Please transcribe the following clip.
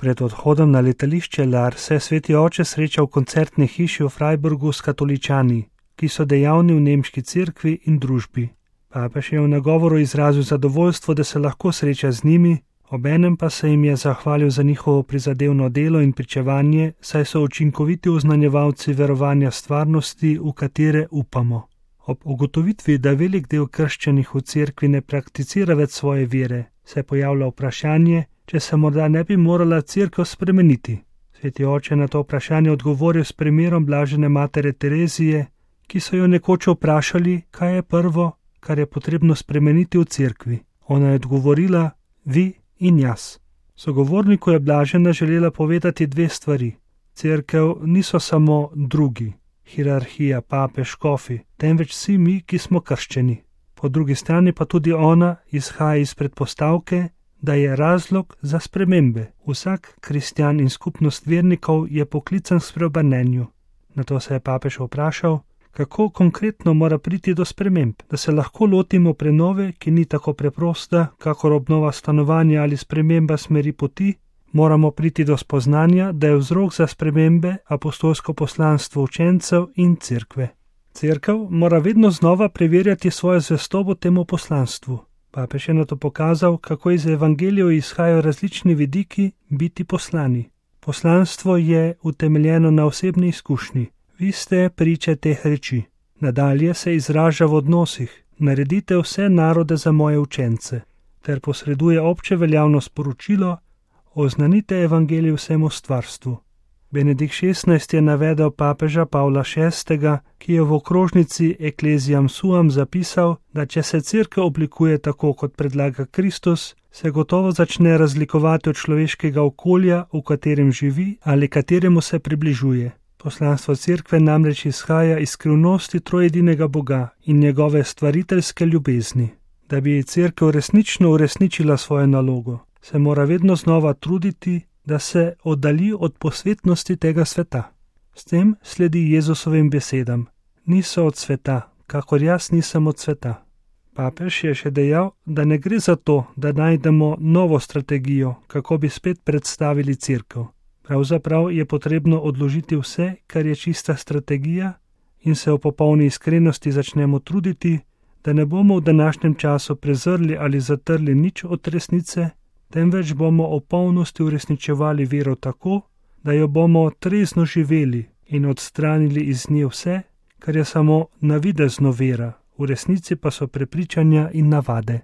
Pred odhodom na letališče Lar se je sveti oče srečal v koncertni hiši v Freiburgu s katoličani, ki so dejavni v nemški cerkvi in družbi. Papež je v nagovoru izrazil zadovoljstvo, da se lahko sreča z njimi, obenem pa se jim je zahvalil za njihovo prizadevno delo in pričevanje, saj so učinkoviti oznanjevalci verovanja stvarnosti, v katere upamo. Ob ugotovitvi, da velik del krščanih v cerkvi ne prakticira več svoje vere, se pojavlja vprašanje, če se morda ne bi morala cerkev spremeniti. Sveti oče na to vprašanje odgovoril s primerom blažene matere Terezije, ki so jo nekoč vprašali, kaj je prvo, kar je potrebno spremeniti v cerkvi. Ona je odgovorila: vi in jaz. Sogovorniku je blažena želela povedati dve stvari. Cerkev niso samo drugi, hierarhija, papež, škofi, temveč vsi mi, ki smo krščeni. Po drugi strani pa tudi ona izhaja iz predpostavke, da je razlog za spremembe. Vsak kristjan in skupnost vernikov je poklican k spreobrnenju. Nato se je papež vprašal, kako konkretno mora priti do sprememb, da se lahko lotimo prenove, ki ni tako preprosta, kakor obnova stanovanja ali sprememba smeri poti. Moramo priti do spoznanja, da je vzrok za spremembe apostolsko poslanstvo učencev in cerkve. Cerkev mora vedno znova preverjati svojo zvestobo temu poslanstvu. Papež je nato pokazal, kako iz evangelijev izhajajo različni vidiki biti poslani. Poslanstvo je utemeljeno na osebni izkušnji. Vi ste priče teh reči. Nadalje se izraža v odnosih. Naredite vse narode za moje učence. Ter posreduje obče veljavno sporočilo: oznanite evangelij vsemu stvarstvu. Benedikt XVI je navedel papeža Pavla VI., ki je v okrožnici Ecclesiam Suam zapisal, da če se cerkev oblikuje tako, kot predlaga Kristus, se gotovo začne razlikovati od človeškega okolja, v katerem živi ali kateremu se približuje. Poslanstvo cerkve namreč izhaja iz skrivnosti trojedinega Boga in njegove stvariteljske ljubezni. Da bi cerkev resnično uresničila svojo nalogo, se mora vedno znova truditi, da se oddalji od posvetnosti tega sveta. S tem sledi Jezusovim besedam: niso od sveta, kakor jaz nisem od sveta. Papež je še dejal, da ne gre za to, da najdemo novo strategijo, kako bi spet predstavili cerkev. Pravzaprav je potrebno odložiti vse, kar je čista strategija, in se v popolni iskrenosti začnemo truditi, da ne bomo v današnjem času prezrli ali zatrli nič od resnice, temveč bomo v polnosti uresničevali vero tako, da jo bomo trezno živeli in odstranili iz nje vse, kar je samo navidezno vera, v resnici pa so prepričanja in navade.